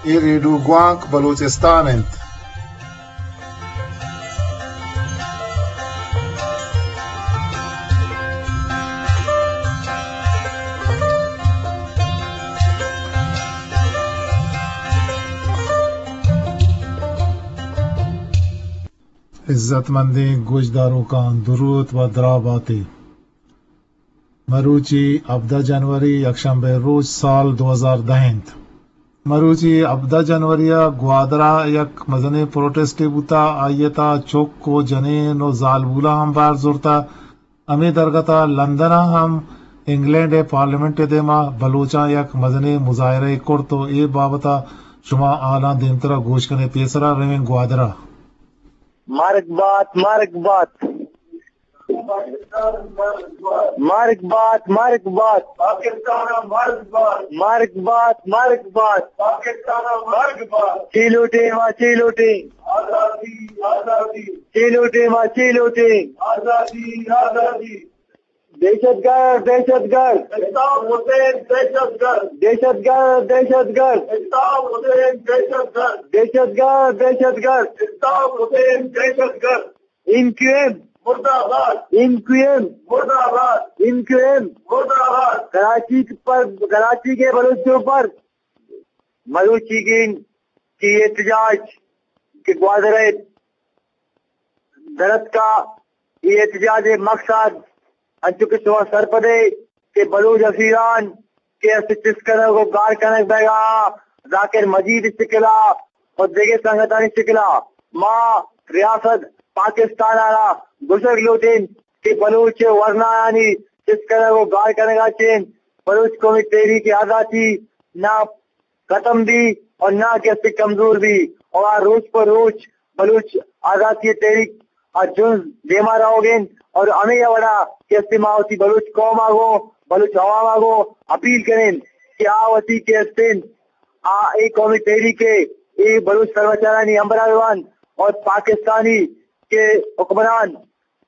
اے ریڈیو گوانک بلوچستان انت۔ عزت مندیں گوشداروکاں درود و دراہ باتے۔ مروچی ہبدہ جنوری، یکشنبے روچ، سال دو ہزار دہ انت۔ مروچی ہبدہ جنوری ء گوادر ء یک مزنیں پروٹسٹے بوتا، آئی ء تہا چک و جنین و زالبولاں ہم بہر زرتا۔ ہمے درگت ء لندن ء ہم انگلینڈ ء پارلیمنٹ ء دیما بلوچاں یک مزنیں مظاہرہ ئے کرت و اے بابت ء شما حالاں دیمترا گوش کنے۔ پیسرا رویں گوادر ء۔ مرگ بات، مرگ بات۔ مرگ بات، مرگ بات۔ پاکستان ء مرگ بات۔ مرگ بات، مرگ بات۔ پاکستان ء مرگ بات۔ چی لوٹیں ما، چی لوٹیں؟ آزادی، آزادی۔ چی لوٹیں ما، چی لوٹیں؟ آزادی، آزادی۔ دہشت گرد، دہشت گرد۔ الطاف حسین دہشت گرد۔ دہشت گرد، دہشت گرد۔ الطاف حسین دہشت گرد۔ دہشت گرد، دہشت گرد۔ الطاف حسین دہشت گرد۔ ایم کیو ایم مردہ باد۔ ایم کیو ایم مردہ باد۔ ایم کیو ایم مردہ باد۔ کراچی پر، کراچی کے بلوچوں پر مروچیگیں کہ احتجاج کہ گوادر ء درتکا، اے احتجاج ء مقصد انچو کہ شما سرپدے کہ بلوچ اسیران کہ است چست کنگ و گار کنگ بیگا، ذاکر مجید شکلا و دگہ سنگتانی شکلا ما ریاست پاکستان ء را گوشگ لوٹیں کہ بلوچ ورنایانی چست کنگ و گار کنگا چین بلوچ قومی تحریک آزادی نا ختم بی اور نہ کہ استے کمزور بی اور آ روچ پہ روچ بلوچ آزادی تحریک آ جنز دیما روگ انت اور ہمے وڑا کہ استے ما وتی بلوچ قوم آ گوں بلوچ عوام آ گوں اپیل کنیں کہ آ وتی کہ استیں آ اے قومی تحریک ء اے بلوچ سرمچارانی ہمبراہ بوان اور پاکستانی کہ حکمران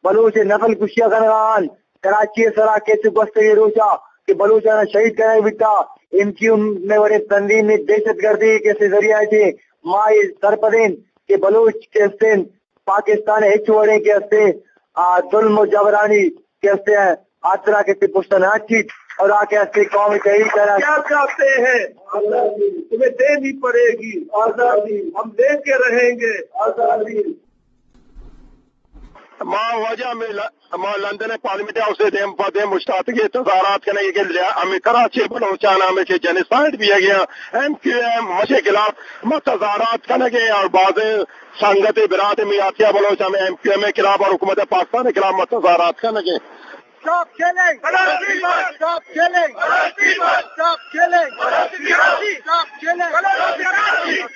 بلوچ ء نسل کشی ء کنگ ء انت۔ کراچی ء سرا کیچ گوستگیں روچ ء کہ بلوچاں شہید کنگ بیتا، ایم کیو ایم ء وڑیں تنظیم ء دہشت گردی کہ اسے ذریعہ ء چہ ما اے سرپدیں کہ بلوچ کہ استیں پاکستان ء ہچ وڑیں کہ استیں آ ظلم و جبرانی کہ استیں آترا کہ پشت نہ چیت اور آ کہ استیں قومی تحریک ء کیا چاہتے ہیں؟ آزادی۔ تمہیں دینی پڑے گی آزادی۔ ہم لے کے رہیں گے آزادی۔ ما واجہ ہمے ل-، ما لندن ء پارلیمنٹ ہاؤس ء دیم پہ دیم اوشتاتگیں تظاہرات کنگ ء کہ لیا-، ہمے کراچی ء بلوچان ہمے کہ جنوسائیڈ بیگ ء ایم کیو ایم مچ ء خلاف ما تظاہرات کنگ ء اور بازیں سنگت ء برات ء میاتیا بلوچ ہمے ایم کیو ایم ء خلاف اور حکومت پاکستان ء خلاف ما تظاہرات کنگ ء۔ Stop killing! Karachi must! Stop killing! Karachi must! Stop killing! Karachi must! Stop killing! Karachi must!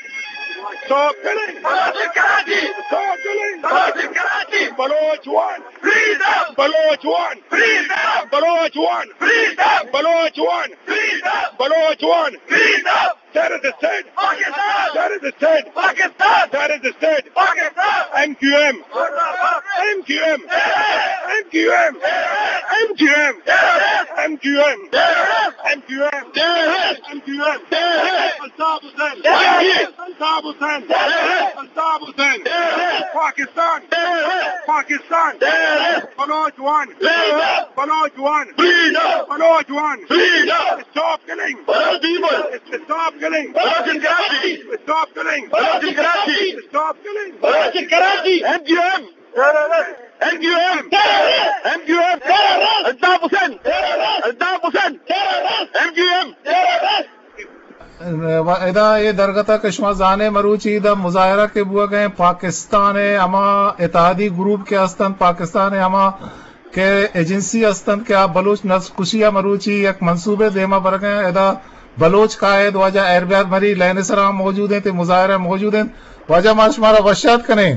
Stop killing! Karachi! Stop killing! Karachi! Karachi! Baloch want freedom! Baloch want freedom! Baloch want freedom! Baloch want freedom! Baloch want freedom! Terrorist state! Pakistan! Terrorist state! Pakistan! Terrorist state! Pakistan! M Q M! Murdabad! M Q M! Terrorist! M Q M! Terrorist! M Q M! Terrorist! M Q M! Terrorist! M Q M! Terrorist! M Q M! Terrorist! Altaf Hussain! Terrorist! Altaf Hussain! Terrorist! Altaf Hussain! Terrorist! Pakistan! Terrorist! Pakistan! Terrorist! Baloch want freedom! Baloch want freedom! Baloch want freedom! Stop killing! Baloch people! Stop killing! Baloch in Karachi! Stop killing! Baloch in Karachi! Stop killing! Baloch in Karachi! M Q M! Terrorist! M Q M! Terrorist! M Q M! Terrorist! Altaf Hussain! Terrorist! Altaf Hussain! Terrorist! M Q M! Terrorist! و ادا اے درگت ء کہ شما زانے مروچی ادا مظاہرہ کہ بوگ ء پاکستان ء ہما اتحادی گروپ کہ ہستنت، پاکستان ء ہما کہ ایجنسی ہستنت کہ آ بلوچ نسل کشی ء مروچی یک منصوبے دیما برگ ء ادا بلوچ قائد واجہ ایربیار مری لین ء سرا موجود انت، مظاہرہ موجود انت۔ واجہ ما شمارا وشات کنیں۔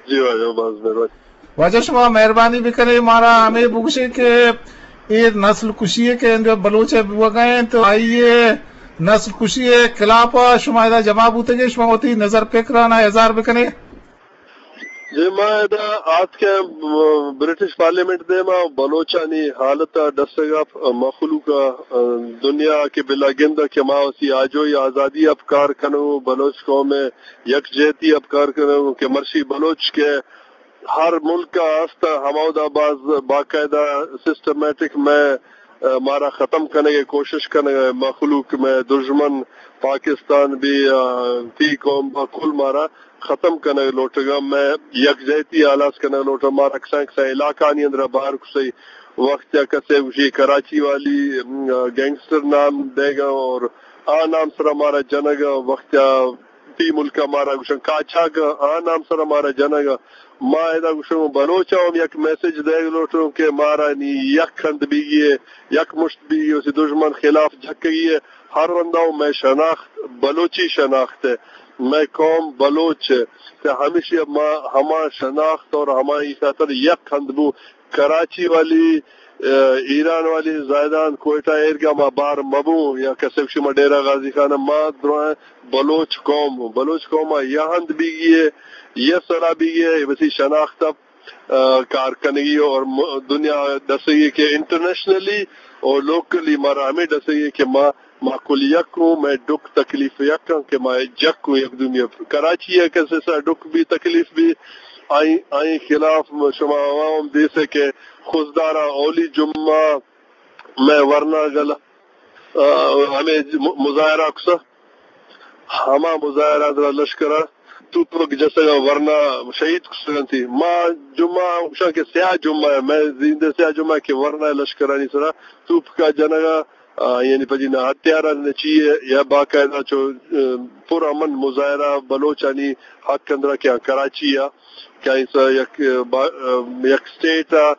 جی واجہ، باز مہربانی۔ واجہ شما مہربانی بکنے مارا ہمے بگوشے کہ اے نسل کشی ء کہ انجو بلوچ ء بوگا انت، آئی ء نسل کشی ء خلاف ء شما ادا جمع بوتگے، شما وتی نظر پکرانا اظہار بکنے۔ جی، ما ادا آتکیں، م، برٹش پارلیمنٹ دیما بلوچانی حالت ء ڈسگ ء، مخلوق ء، دنیا ء کہ بلا گند ء کہ ما وتی آجوئی آزادی ء پکار کنوں، بلوچ قوم ء یکجہتی ء پکار کنوں کہ مرشی بلوچ کہ ہر ملک ء است، ہمودا باز باقاعدہ سسٹمیٹک مئے، ء، مارا ختم کنگ ء کوشش کنگ ء، مخلوق مئے دژمن پاکستان بھی، ء، تی قوم با کل مارا ختم کنگ لوٹگا، مئے یکجہتی آلاس کنگ لوٹا، مارا کسان کسان علاقہ آنی اندرا بار کسئی وقت یا کسے گوشی کراچی والی، م، گینگسٹر نام دیگا اور آ نام سرا مارا جنگا وقت یا تی ملک ء مارا گوشن کاچاگ ء، آ نام سرا مارا جنگ ء۔ ما ادا گوشن بلوچ ء ہم یک میسج دیگ لوٹوں کہ مارا نی یک ہند بیگی ء، یک مشت بیگی ء، اسی دژمن خلاف جھکگی ء۔ ہر رندا و مئے شناخت بلوچی شناخت ء، مئے قوم بلوچ ء، تے ہمیشی ما ہما شناخت اور ہمائی خاطر یک ہند بو کراچی والی، ء، ایران والی زاہدان کوئٹہ ایرگا ما بار مبوں یا کسے گوشی ما ڈیرہ غازی خان ما درائیں بلوچ قوم، بلوچ قوم ء یا ہند بیگی ء، یا سرا بیگی ء، وتی شناخت ء، ء، کار کنگی اور م-، دنیا ڈسگی کہ انٹرنیشنلی اور لوکلی مارا ہمیں ڈسگی کہ ما ما کل یک اوں، مئے ڈک تکلیف یک اں کہ ما جک اوں یک دومی ء۔ کراچی ء کسے سا ڈک بھی تکلیف بھی، آئی، آئی خلاف شما عوام دیسے کہ خضدارا اولی جمعہ مئے ورنا گل، آ، ہمیں م-، مظاہرہ کسا، ہما مظاہرہ درا لشکرا توپک جسگا ورنا شہید کسگنتی۔ ما جمعہ گوشاں کہ سیاہ جمعہ ء، مئے زیندے سیاہ جمعہ کہ ورنا لشکرانی سرا توپکا جنگا، آ، یعنی پجی نہ ہتھیار ء نہ چی ء، یا باقاعدہ چو، ا، پر امن مظاہرہ بلوچانی حق اندرا کہ آ کراچی ء کہ آئی سا یک، ا، با-، ا، یک اسٹیٹ ء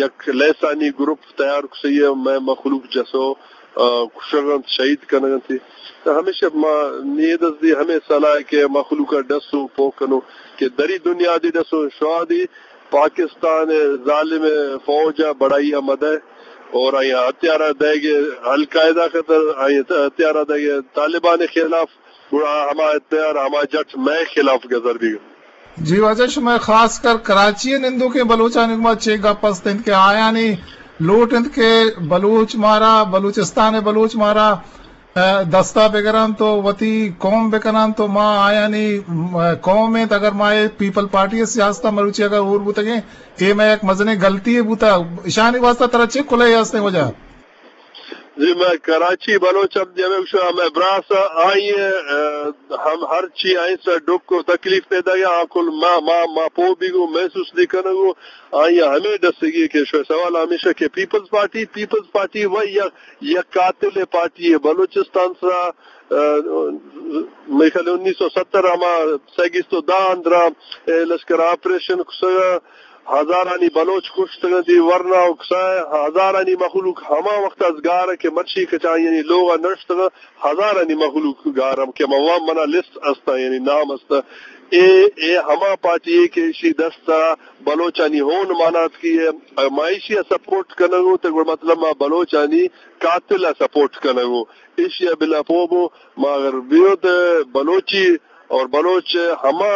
یک لہسانی گروپ تیار کسئی ء مئے مخلوق جسو، ا، کشگ انت، شہید کنگ انت۔ تو ہمیشہ ما نیدس دی ہمیں صلاح کہ مخلوق ء ڈسو پوک کنو کہ دری دنیا دی ڈسو شوا دی پاکستان ء ظالم فوج ء بڑائی ء مدئے اور آئی ء ہتھیار ء دئیگ ء القاعدہ خطر، آئی ء ہتھیار ء دئیگ ء طالبان ء خلاف، گڑا ہما ہتھیار ہما جٹ مئے خلاف گزر بیگ۔ جی واجہ، شمئے خاص کر کراچی ء نندوکیں بلوچانی گوما چے گپ است انت کہ آیانی لوٹ انت کہ بلوچ مارا، بلوچستان ء بلوچ مارا ء، دستا بگران تو وتی قوم بکنان تو ما آیانی، م-، قوم انت۔ اگر ما اے پیپل پارٹی ء سیاست ء مروچی اگر ہور بوتگیں، اے مئے یک مزنیں گلتی یے بوتا۔ اشانی واسطہ ترا چے کلہے ہستیں وجہ؟ جی، مئے کراچی بلوچ ہم جمع گوشاں، مئے براس آئی ء، ء، ہم ہر چی آئی سر ڈک و تکلیف پیدا گیا، آ کل ما، ما، ما پو بیگو محسوس دی کنگو، آئی ہمیں ڈسگی کہ شو سوال ہمیشہ کہ پیپلز پارٹی، پیپلز پارٹی و یک یک قاتل پارٹی ء بلوچستان سرا، ء، مئے خیال انیس سو ستر ہما سیگیست و دہ اندرا، ء، لشکر آپریشن کسگ ء ہزارانی بلوچ کشتگ انت، ورنا و کسائے ہزارانی مخلوق ہما وقت از گار کہ مرچی کچا یعنی لوگ ء نشتگ، ہزارانی مخلوق گار ہم کہ ما وام منا لسٹ استا یعنی نام استا۔ اے، اے ہما پارٹی ہے کہ اشی دستا بلوچانی ہون مانات کی ہے، ما ایشی ء سپورٹ کنگو تے گڑ مطلب ما بلوچانی قاتل ء سپورٹ کنگو۔ ایشی ء بلا پوبو ما اگر بیو تے بلوچی اور بلوچ ہما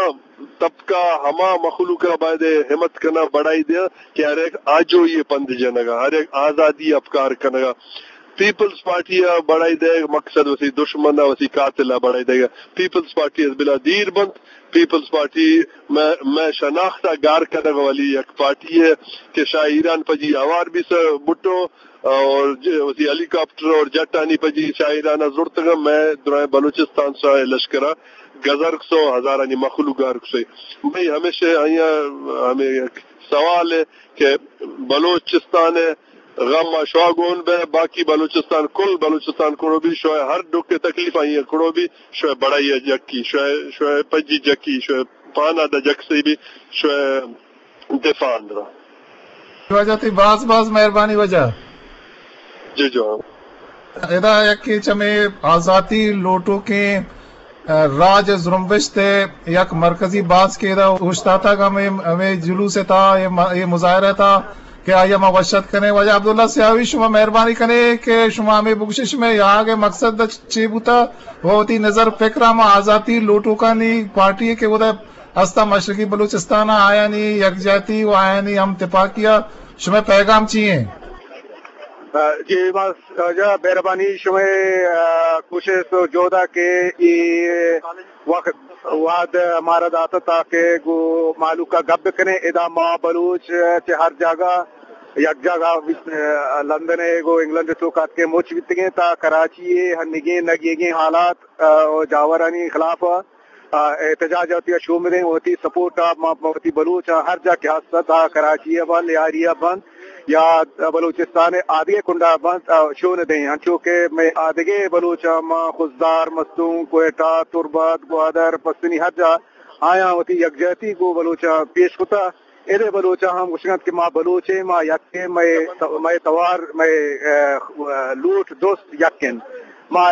طبقہ، ہما مخلوق ء باید ہمت کنا بڑائی دیا کہ ہر ایک آجوئی پند جنگا، ہر ایک آزادی اپکار کنگا۔ پیپلز پارٹی ء بڑائی دے مقصد وسی دشمن ء وسی قاتل ء بڑائی دے۔ پیپلز پارٹی از بلا دیر بنت۔ پیپلز پارٹی میں، میں شناخت ء گار کنگ والی یک پارٹی ہے کہ شاہ ایران پجی آوار بھی سر بٹو اور ج-، وسی ہیلی کاپٹر اور جٹ آنی پجی شاہ ایران ء زرتگ۔ میں درائیں بلوچستان سرائے لشکر ء گزر کسو ہزارانی مخلوق گار کسے۔ میں ہمیشہ آئی ء ہمیں یک سوال ہے کہ بلوچستان ء غم ء شوا گون بہ، باقی بلوچستان، کل بلوچستان کڑو بی، شوئے ہر ڈکھ ء تکلیف آئی ء کڑو بی، شوئے بڑائی ء جکی، شوئے، شوئے پجی جکی، شوئے پانا دا جکسے بی، شوئے دفاع اندرا۔ واجہ تئی باز باز مہربانی واجہ۔ جی جوان۔ ادا یکے چمے آزاتی لوٹوکیں راج زرمبشت ء یک مرکزی باسکے ادا اوشتاتگ۔ ہمے، ہمے جلوس ء تھا، اے م-، اے مظاہرہ ء تھا کہ آئی ء ما وش اتک کنیں۔ واجہ عبداللہ سیاوی، شما مہربانی کنے کہ شما ہمے بگوشے شمئے یاگ ء مقصد چے بوتا و وتی نظر پکر ء ہما آزاتی لوٹوکانی پارٹی ء کہ اودا ہستاں مشرقی بلوچستان ءَ، آیانی یکجہتی و آیانی ہم تپاکی ءَ شمئے پیغام چی ایں؟ جی، ما، جا مہربانی شمئے، آ، کوشست و جہد ءَ کہ اے وقت وہد مارا داتہ تاکہ گوں مہلوک ءَ گپ بکنیں۔ ادا ما بلوچ چہ ہر جاگہ یک جاگہ بیت، آ، لندن ءَ گوں انگلینڈ ءِ توک اتکیں مچ بیتگیں تا کراچی ءِ ہنیگیں نگیگیں حالات، آ، و جاورانی خلاف ءَ آ، احتجاج ءَ وتی ءَ شون بدیں، وتی سپورٹ ءَ ما، ما وتی بلوچ ءَ ہر جا کہ ہست ات، آ کراچی ءَ بنت، لیاری ءَ بنت یا بلوچستان ءِ آدگہ کنڈ ءَ بنت، آ، شون دیں۔ انچو کہ مئے آدگہ بلوچ ءَ ما خضدار، مستونگ، کوئٹہ، تربت، گوادر، پسنی ہر جا آیاں وتی یکجہتی گوں بلوچ ءَ پیش کتہ۔ اے دے بلوچ ءَ ہم گوشگ ءَ انت کہ ما بلوچ ایں، ما یک ایں، مئے، مئے توار، مئے، آ، لوٹ دوست یک انت۔ ما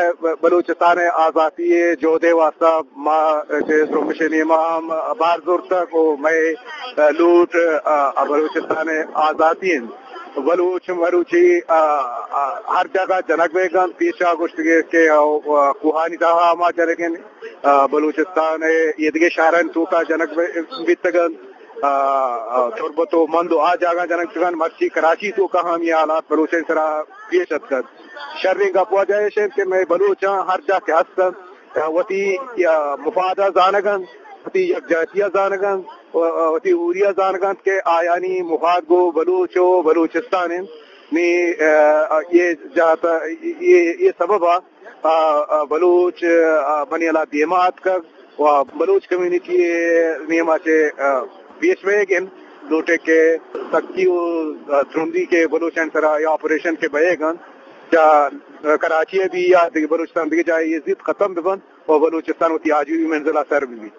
بلوچستان ءِ آزاتی ءِ جہد ءِ واستہ ما چہ زرمبش ءِ نیما ہم بار زرتگ و مئے لوٹ، آ، بلوچستان ءِ آزاتی انت۔ بلوچ مروچی، آ، آ، ہر جاگہ جنگ بیگ انت۔ پیشا گوشتگے کہ، آ، کوہانی تہا ما جنگ انت، آ، بلوچستان ءِ ایدگہ شہرانی توکا جنگ بی-، بیتگ انت۔ آ، آ، تربت و مند و آ جاگہ جنگ بیتگ انت، مرچی کراچی توکا ہم یہ حالات بلوچانی سرا پیش اتکگ۔ شریں گپ واجہ ایش انت کہ مئے بلوچاں ہر جا کہ ہست انت، وتی، آ، مفاد ءَ زانگ انت، وتی یکجہتی ءَ زانگ انت، و، آ، وتی ہوری ءَ زانگ انت کہ آیانی مفاد گوں بلوچ و بلوچستان انت۔ نی، آ، یہ جہت، یہ، یہ سبب ءَ آ، آ، بلوچ، آ، منی ہیالا دیما اتکگ و بلوچ کمیونٹی ءِ نیما چہ، آ، پیش بئیگ انت۔ لوٹے کہ سختی و، آ، ترندی کہ بلوچانی سرا اے آپریشن کہ بئیگ انت، چہ، آ، کراچی ءَ بی یا دگہ بلوچستان دگہ جاہے، اے زیت ختم بہ بنت و بلوچستان وتی آجوئی منزل ءَ سر بہ بیت۔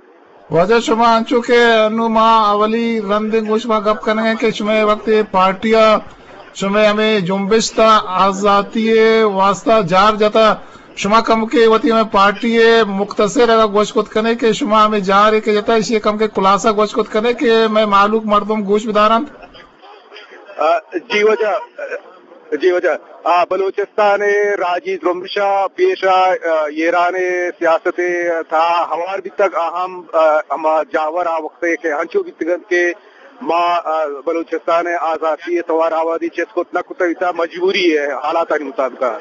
واجہ شما انچو کہ انو ما اولی رندیں گوں شما گپ کنگ ءَ کہ شمئے وقت پارٹی ءَ شمئے ہمے جنبش تا آزاتی ءِ واستہ جار جتا، شما کمکے وتی ہمے پارٹی ءِ مختصر اگاں گوش کت کنے کہ شما ہمے جار ءَ کہ جتا، ایشی ءِ کمکے خلاصہ گوش کت کنے کہ مئے مہلوک مردم گوش بدارنت۔ آ، جی واجہ، جی واجہ، آ، بلوچستان ءِ راجی زرمبش ءَ پیش ءَ، آ، ایران ءِ سیاست ءِ تہا ہوار بیتگ، آ ہم، آ، ہما جاور آ وقت ءَ کہ انچو بیتگ انت کہ ما، آ، بلوچستان ءِ آزاتی ءِ توار آبادی چست کت نہ کتگ، تا مجبوری ءِ حالاتانی مطابق ءَ۔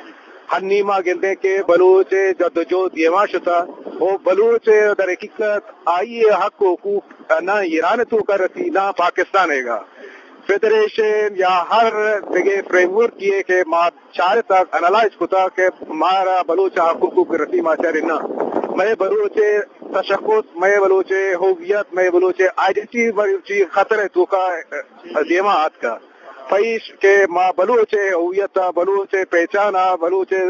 ہنی ما گندیں کہ بلوچ ءِ جدوجہد دیما شتہ و بلوچ ءِ در حقیقت آئی ءِ حق و حقوق نہ ایران ءِ توکا رسی، نہ پاکستان ءِ گا۔ فیڈریشن یا ہر دگہ فریم ورک یے کہ ما چارتگ، انالائز کتگ کہ مارا بلوچ ءِ حق و حقوق رسی، ما چاریں نہ۔ مئے بلوچ ءِ تشخص، مئے بلوچ ءِ ہویت، مئے بلوچ ءِ آئیڈینٹی مروچی خطر ءِ توکا دیما آتکا۔ پہ ایش کہ ما بلوچ ءِ ہویت ءَ، بلوچ ءِ پہچان ءَ، بلوچ ءِ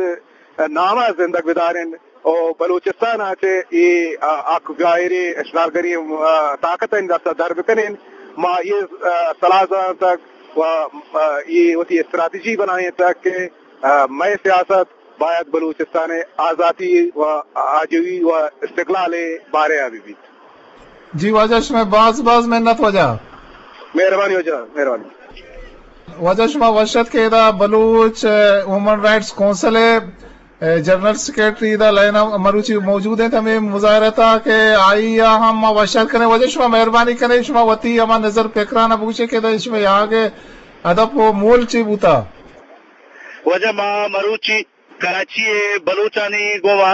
نام ءَ زندگ بدارین و بلوچستان ءَ چہ اے، آ، آ، غیریں اشغالگری، آ، طاقتانی دست ءَ در بکنین۔ ما اے، آ، سلاہ زانتگ و، آ، اے وتی استراتیجی بنائینتگ کہ، آ، مئے سیاست باید بلوچستان ءِ آزاتی و آجوئی و استقلال ءِ بارے ءَ بہ بیت۔ جی واجہ، شمئے باز باز منت واجہ۔ مہربانی واجہ، مہربانی۔ واجہ شما وش ات کہ ادا بلوچ، آ، ہیومن رائٹس کونسل ءِ، آ، جنرل سیکرٹری ادا لائن ءَ مروچی موجود انت ہمے مظاہرہ ءِ تہا کہ آئی ءَ ہم ما وش ات کنیں۔ واجہ شما مہربانی کنیں، شما وتی ہما نظر پکران ءَ بگوشے کہ ادا شمئے یاگ ءِ ہدف و مول چی بوتا؟ واجہ ما مروچی کراچی ءِ بلوچانی گوما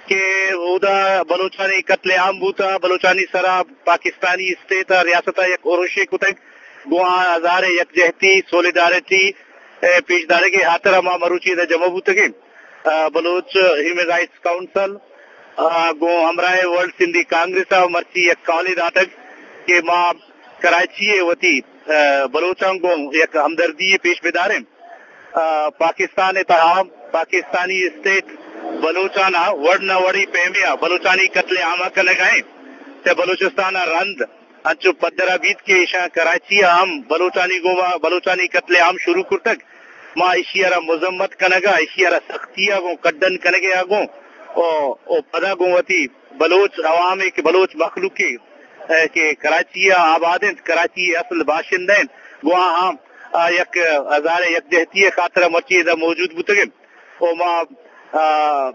کہ اودا بلوچانی قتل عام بوتا، بلوچانی سرا پاکستانی اسٹیٹ ءَ ریاست ءَ یک اُرشے کتگ، گوں آ ہزار ءِ یکجہتی، سولیڈارٹی ءِ پیش دارگ ءِ ہاترا ما مروچی ادا جمع بوتگیں۔ آ، بلوچ ہیومن رائٹس کونسل، آ، گوں ہمراہ ورلڈ سندھی کانگریس ءَ مرچی یک کالے داتگ کہ ما کراچی ءَ وتی، آ، بلوچاں گوں یک ہمدردی ءَ پیش بداریں۔ آ، پاکستان ءِ تہا پاکستانی اسٹیٹ بلوچانا وڑ نہ وڑی پیمے ءَ بلوچانی قتل عام ءَ کنگ ءَ انت، چہ بلوچستان ءَ رند انچو پدر ءَ بیت کہ ایشاں کراچی ءَ ہم بلوچانی گوما بلوچانی قتل عام شروع کرتگ۔ ما ایشی ءَ را مذمت کنگ ءَ، ایشی ءَ را سختی ءَ گوں کڈن کنگ ءَ گوں او، او پدا گوں وتی بلوچ عوام ءَ کہ بلوچ مخلوق ءَ، اے، کہ کراچی ءَ آباد انت، کراچی ءِ اصل باشندہ انت، گوں آہاں، آ، یک ہزار ءِ یکجہتی ءِ خاطر ءَ مرچی ادا موجود بوتگ انت۔ او ما، آ،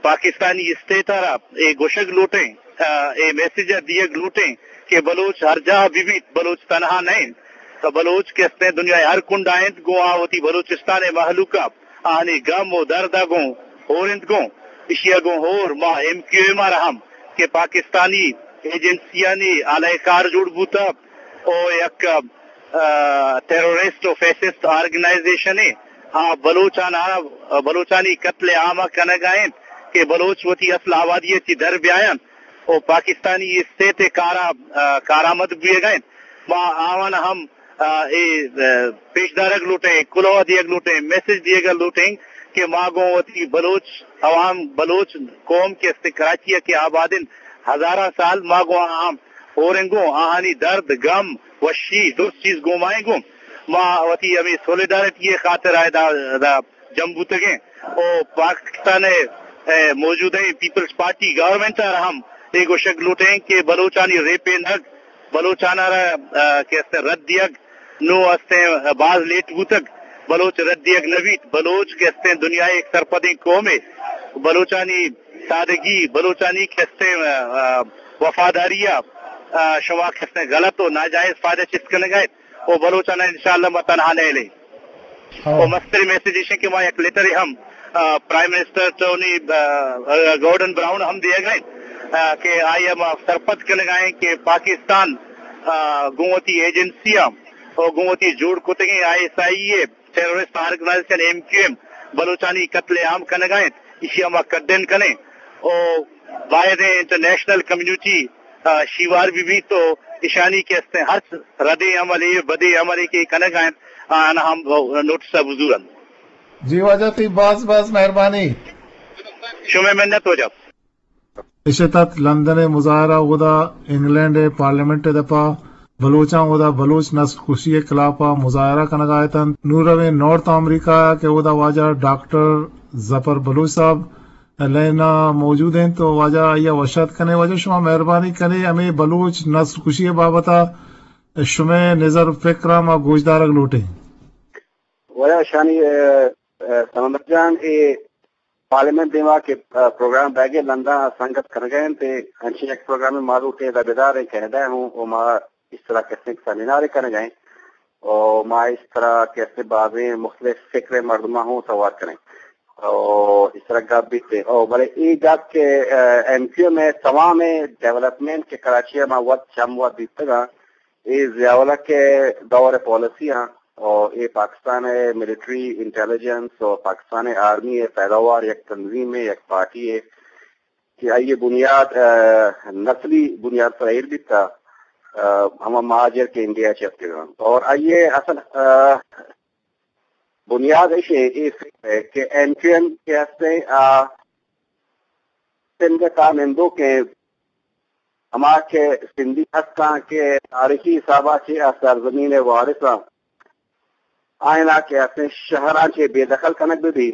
پاکستانی اسٹیٹ ءَ را اے گوشگ لوٹیں آ، اے میسج ءَ دیگ لوٹیں کہ بلوچ ہر جاہ بہ بیت، بلوچ تنہا نہ انت۔ تو بلوچ کہ استیں دنیا ءِ ہر کنڈا انت، گوں آ وتی بلوچستان ءِ مہلوک ءَ آہانی گم و درد ءَ گوں ہور انت گوں۔ ایشی ءَ گوں ہور ما ایم کیو ایم ءَ را ہم کہ پاکستانی ایجنسیانی آلہ کار جوڑ بوتہ او یک، آ، ٹیرورسٹ و فیشسٹ آرگنائزیشنے، آ بلوچان ءَ، بلوچانی قتل عام ءَ کنگ ءَ انت کہ بلوچ وتی اصل آبادی ءَ چہ در بیاینت و پاکستانی اسٹیٹ ءِ کار ءَ، آ، کارآمد بوئگ ءَ انت۔ ما آوان ہم، آ، اے، آ، پیش دارگ لوٹیں، کلوہ دیگ لوٹیں، میسج دیگ لوٹیں کہ ما گوں وتی بلوچ عوام، بلوچ قوم کہ است کراچی ءَ کہ آباد انت ہزاراں سال، ما گوں آہاں ہوریں گوں، آہانی درد، گم، وشی، درست چیز گوں مائیں گوں۔ ما وتی ہمے سولیڈارٹی ءِ خاطر ءَ ادا، ادا جم بوتگیں۔ او پاکستان ءِ، اے، موجودہ پیپلز پارٹی گورنمنٹ ءَ را ہم اے گوشگ لوٹیں کہ بلوچانی ریپینگ، بلوچان ءَ را، آ، کہ است رد دیگ، نوں استیں باز لیٹ بوتگ، بلوچ رد دیگ نہ بیت، بلوچ کہ استیں دنیا ءِ یک سرپدیں قومے، بلوچانی سادگی، بلوچانی کہ استیں، آ، آ، وفاداری ءَ، آ، شما کہ استیں غلط و ناجائز فائدہ چست کنگ ءَ ات و بلوچان ءَ انشاءاللہ ما تنہا نہ ہلیں۔ ہاں۔ و مستریں میسج ایش کہ ما یک لیٹرے ہم، آ، پرائم منسٹر ٹونی، آ، آ، گورڈن براؤن ہم دیگ ءَ، آ، کہ آئی ءَ ما سرپد کنگ ءَ ایں کہ پاکستان، آ، گوں وتی ایجنسیاں و گوں وتی جوڑ کتگیں آئی ایس آئی اے، ٹیررسٹ آرگنائزیشن ایم کیو ایم، بلوچانی قتل عام کنگ ءَ انت، ایشی ءَ ما کنڈیم کنیں و باید انٹرنیشنل کمیونٹی، آ، شیوار بہ بیت و ایشانی کہ استیں ہرچ ردیں عملے، بدیں عملے کہ کنگ ءَ انت، آہاں ہم نوٹس ءَ بزور انت۔ جی واجہ، تئی باز باز مہربانی۔ شمئے منت واجہ۔ ایشی تحت لندن ءِ مظاہرہ، اودا انگلینڈ ءِ پارلیمنٹ ءِ دپا بلوچاں اودا بلوچ نسل کشی ءِ خلاف ءَ مظاہرہ کنگ ءَ اتنت۔ نوں رویں نارتھ امریکہ ءَ کہ اودا واجہ ڈاکٹر ظفر بلوچ صاحب لائن ءَ موجود انت، تو واجہ آئی ءَ وش آتک کنیں۔ واجہ شما مہربانی کنیں، ہمے بلوچ نسل کشی ءِ بابت ءَ شمئے نظر و فکر ءَ ما گوشدارگ لوٹیں۔ واجہ شانی، اے، اے، سمندر جان، اے پارلیمنٹ دیما کہ، اے، پروگرام بیگ ءَ لندن ءَ سنگت کنگ ءَ انت، اے انچیں یک پروگرام ما لوٹیں ادا بداریں کینیڈا ءَ ہوں، و ما اس طرح کسیں سیمینار کنگ ءَ ایں، و ما اس طرح کسیں بازیں مختلف فکر ءِ مردماں ہوں سوار کنیں۔ و اس طرح گپ بیت۔ و بلے اے گپ کہ، اے، ایم کیو ایم ءِ تمام ڈیولپمنٹ کہ کراچی ءَ ما وت چم وت دیتگ آں، اے ضیاء الحق ءِ دور ءِ پالیسی آں، و اے پاکستان ءِ ملٹری انٹیلیجنس و پاکستان ءِ آرمی ءِ پیداوار یک تنظیمے، یک پارٹی یے کہ آئی ءِ بنیاد، اے، نسلی بنیاد پر ایر بیتا، اے، ہما مہاجر کہ انڈیا ءَ چہ اتکگ انت۔ اور آئی ءِ اصل، اے، بنیاد ایش اے، اے فکر ءِ کہ ایم کیو ایم کہ ہستیں، آ سندھ ءِ تہا نندوکیں، ہما کہ سندھی ہستاں کہ تاریخی حساب ءَ چہ آ سرزمین ءِ وارث آں، آیاں کہ ہستیں شہراں چہ بے دخل کنگ بہ بی،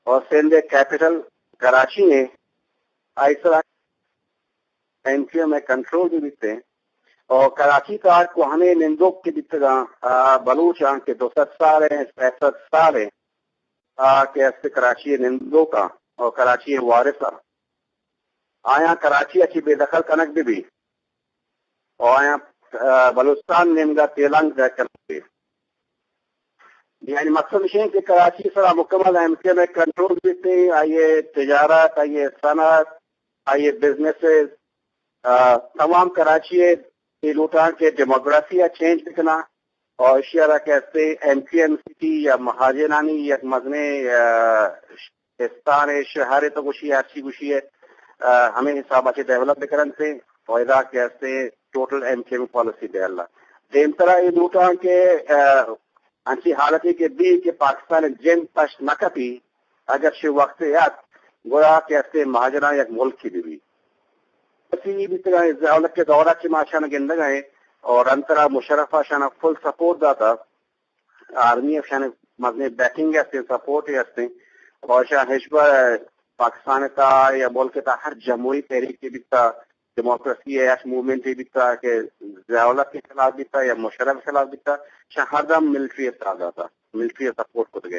اور سندھ ءِ کیپٹل کراچی ایں، آئی سرا ایم کیو ایم ءِ کنٹرول بہ بیتیں۔ اور کراچی ءِ تہا کوہنیں نندوک کہ بیتگاں، آ، بلوچ آں کہ دو سد سال ایں، سئے سد سال ایں، آ، کہ است کراچی ءِ نندوک آں اور کراچی ءِ وارث آں، آیاں کراچی ءَ چہ بے دخل کنگ بہ بی۔ و آیاں، آ، بلوچستان نیمگا تیلانک دئیگ کنگ بیت۔ یعنی مقصد ایش انت کہ کراچی سرا مکمل ایم کیو ایم ءِ کنٹرول بیت، آئی ءِ تجارت، آئی ءِ صنعت، آئی ءِ بزنسز، آ، تمام کراچی ءِ اے لوٹاں کہ ڈیموگرافی ءَ چینج بکناں۔ اور ایشی ءَ را کہ استے ایم کیو ایم سٹی یا مہاجرانی یک مزنیں، آ، استان ءِ شہر ءِ تو گوشی، ہرچی گوشی ءِ، آ، ہمے حساب ءَ چہ ڈیولپ بکننت۔ و ادا کہ استے ٹوٹل ایم کیو ایم پالیسی بہلا۔ دیمترا اے لوٹاں کہ، آ، انچیں حالتے کہ بی کہ پاکستان ءِ جند پشت مہ کپی، اگر چہ وقتے ات، گڑا کہ استے مہاجراں یک ملکے بہ بی۔ اسی بیتگاں، ضیاء الحق ءِ دور ءَ چہ ما اشاں گندگ ءَ ایں، اور انترا مشرف ءَ اشاں فل سپورٹ داتا، آرمی ءَ اشاں مزنیں بیکنگ ءَ استیں، سپورٹ ءَ استیں، اور اشاں ہچبر پاکستان ءِ تہا یا ملک ءِ تہا ہر جمہوری تحریک بیتا، ڈیموکریسی ءِ ہر موومنٹ بیتا کہ ضیاء الحق ءِ خلاف بیتا یا مشرف ءِ خلاف بیتا، اشاں ہر دم ملٹری ءَ ساتھ داتا، ملٹری ءَ سپورٹ کتگ ءَ۔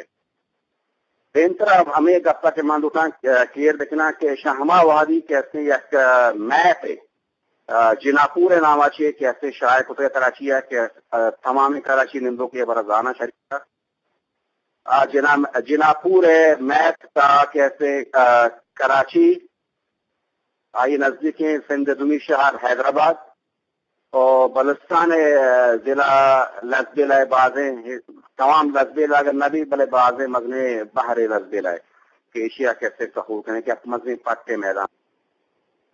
دیمترا ہمے گپا کہ من لوٹاں، آ، کلیئر بکناں کہ شہ ہما وہدی کہ استیں یک، آ، میپ ء، آ، جناپور ء ناما چے کہ استیں شائع کتگ کراچی ء کہ، آ، تمامیں کراچی نندوکے برا زاناں شریک ء۔ آ، جنا-، جناپور ء میپ تا کہ استیں، آ، کراچی آئی نزدیکیں سندھ ء دومی شہر حیدرآباد و بلوچستان ء ضلع لسبیلہ ء بازیں، تمام لسبیلہ اگر نہ بی بلے بازیں مزنیں بحر ء لسبیلہ ء کہ ایشی ء کہ استیں سہول کنیں کہ یک مزنیں پٹ ء میدان۔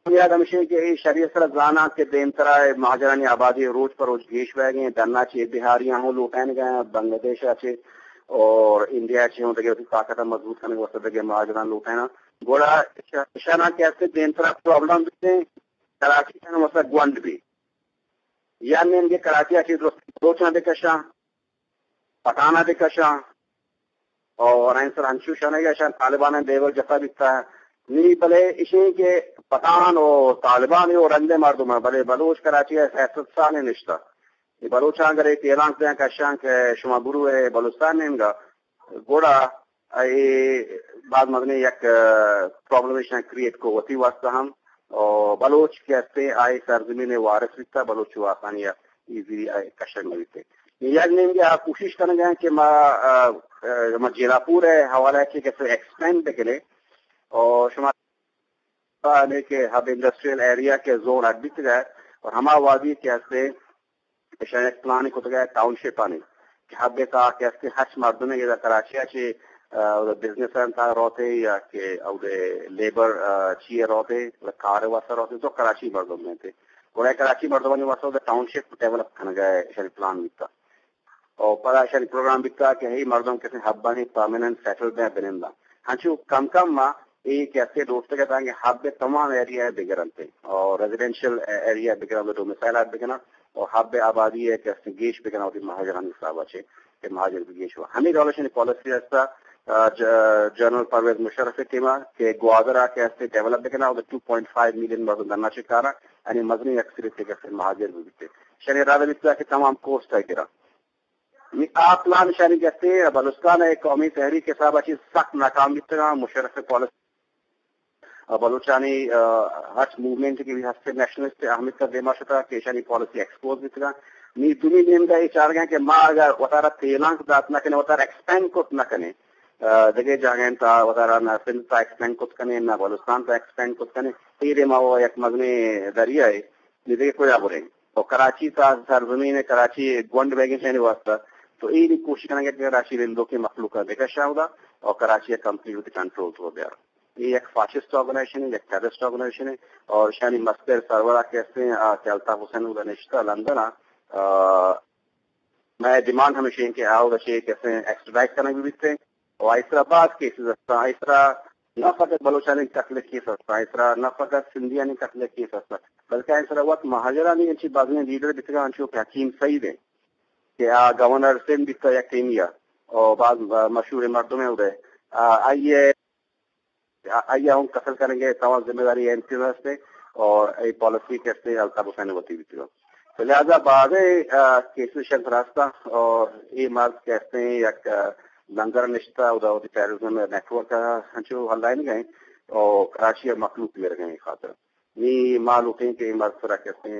بنیاد ہمیش انت کہ اے شری ء سرا زاناں کہ دیمترا اے مہاجرانی آبادی روچ پہ روچ گیش بئیگ انت، ڈنا چہ بہاریاں ہوں لوٹائینگ ء، بنگلہ دیش ء چہ اور انڈیا ء چہ ہوں دگہ وتی طاقت ء مضبوط کنگ ء واستہ دگہ مہاجراں لوٹائیناں۔ گڑا اشاناں کہ است دیمترا پرابلم بیت، کراچی ء واستہ گونڈ بیت۔ یا نیمگے کراچی ء چہ درست بلوچاں بکشاں، پٹھان ء بکشاں، اور آئی سر انچو شنگ ء اشاں طالبان ء لیول جتا بیتا۔ نی بلے اشیں کہ پٹھان و طالبان و رندے مردم ء، بلے بلوچ کراچی ء سیاست سال نشتا۔ اے بلوچاں اگر اے تیلانک دیاں کشاں کہ شما برو اے بلوچستان نیمگا، گڑا اے باز مزنیں یک، آ، پرابلم ایشاں کریئیٹ کو وتی واسطہ ہم، اور بلوچ کہ ہستے آئی سرزمین وارث بیتا، بلوچ چو آسانی ایزیلی آئی کشگ نہ بیتے۔ یک نیمگے آ کوشش کنگ ء کہ ما، آ، آ، ما جیلاپور ء حوالہ ء چہ کسے ایکسپینڈ بکنیں اور شما ہمے کہ ہب انڈسٹریل ایریا کہ زون اڈ بیتگ ء اور ہما وادی کہ ہستے ایشاں یک پلانے کتگ ء ٹاؤن شپ آنی کہ ہب ء تہا کہ ہستے ہرچ مردمے ادا کراچی ء چہ، آ، بزنس ء تہا روتے یا کہ اودے لیبر، آ، چی ء روتے، کار ء واسطہ روتے تو کراچی مردم انت۔ گڑا کراچی مردمانی واسطہ اودے ٹاؤن شپ ڈیولپ کنگ ء ایشانی پلان بیتا۔ اور پدا ایشانی پروگرام بیتا کہ ہی مردم کسے ہبانی پرماننٹ سیٹل بہ بننداں۔ ہنچو کم کم ما اے کہ استے دوستگ ء تانکہ ہب ء تمام ایریا ء بگرنت اور ریزیڈنشل ایریا ء بگرنت، ڈومیسائل ء بگرنت اور ہب ء آبادی ء کہ استے گیش بگرنت وتی مہاجرانی حساب ء چہ کہ مہاجر بھی گیش ہوا۔ ہمیں ڈولشن پالیسی ہستا، آ، ج-، جنرل پرویز مشرف ء ٹیم ء کہ گوادر ء کہ استے ڈیولپ بگرنت اور ٹو پوائنٹ فائیو ملین مردم درنا چکارا یعنی مزنی اکثریت کہ استے مہاجر بھی بیتے۔ شنی ارادہ بیتا کہ تمام کوسٹ ء گرا۔ نی آ پلان شانی گتے بلوچستان ء قومی تحریک حساب ء چیز سخت ناکام بیتگاں۔ مشرف پالیسی ء بلوچانی، آ، ہرچ موومنٹ کہ ہستے نیشنلسٹ اہمیت ء دیما شتا کہ ایشانی پالیسی ایکسپوز بیتگاں۔ نی دومی نیمگا اے چارگاں کہ ما اگر وتارا تیلانک دات نہ کنیں، وتارا ایکسپینڈ کت نہ کنیں، آ، دگہ جاگہیں تا وتارا نہ سندھ تا ایکسپینڈ کت کنیں، نہ بلوچستان تا ایکسپینڈ کت کنیں، تیرے ما وہ یک مزنیں دریا ہے، نی دگہ کجا بریں؟ تو کراچی تا سرزمین کراچی گونڈ بیگیں شہری واسطہ، تو اے نی کوشش کنگے کہ کراچی رندوکیں مخلوق ء بکشاں اودا اور کراچی ء کمپلیٹ وتی کنٹرول تو بیار۔ اے یک فاشسٹ آرگنائزیشن ہے، یک ٹیررسٹ آرگنائزیشن ہے اور شانی مستر سرورا کہ ہستے آ، کہ الطاف حسین اودا نشتا لندن ء، آ، مئے ڈیمانڈ ہمیش انت کہ آ اودا چہ کہ ہستے ایکسٹرڈائٹ کنگ بیتے۔ و آئی سرا باز کیسز ہستاں، آئی سرا نہ فقط بلوچانی قتل کیس ہستاں، آئی سرا نہ فقط سندھیانی قتل کیس ہستاں، بلکہ آئی سرا وت مہاجرانی انچی بازیں لیڈر بیتگاں، انچو کہ حکیم سعید ہیں کہ آ گورنر سندھ بیتا یک ٹیمی ء، او باز مشہور مردم ہیں ادے۔ آ، آئی ء، آئی ء ہم قتل کنگ ء تمام ذمہ داری ایم کیو ہستے اور اے پالیسی کہ ہستے الطاف حسین وتی بیتگاں۔ تو لہذا بازیں، آ، کیسز شنت راستہ اور اے مرد کہ ہستے یک، آ، لندن نشتہ، ادا وتی ٹیررزم نیٹ ورک ء ہنچو ہلائینگ ء اور کراچی ء مخلوق میرگ ء خاطر۔ نی ما لوٹیں کہ اے مرد سرا کہ ہستے،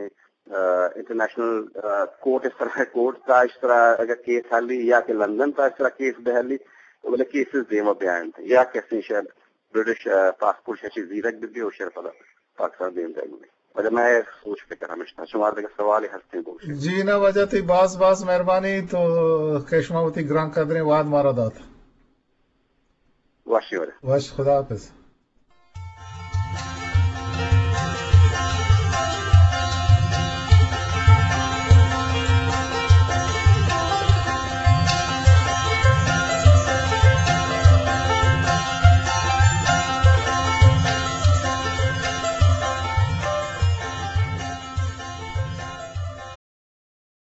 آ، انٹرنیشنل، آ، کورٹ اس طرح کورٹ تا اس طرح اگر کیس ہلی یا کہ لندن تا اس طرح کیس بہ ہلی، بلے کیسز دیما بیاینت یا کہ ہستے شاید برٹش، آ، پاسپورٹ شچی زیرک بہ بی و شر پدا پاکستان دیم دائیں۔ وجہ میں سوچ فکر ہمیشہ شمار دگہ سوال ہستیں بوشے۔ جی نہ، وجہ تئی باز باز مہربانی تو کہ شما وتی گران قدریں واد مارا دات۔ وشی ورے۔ وش، خدا حافظ۔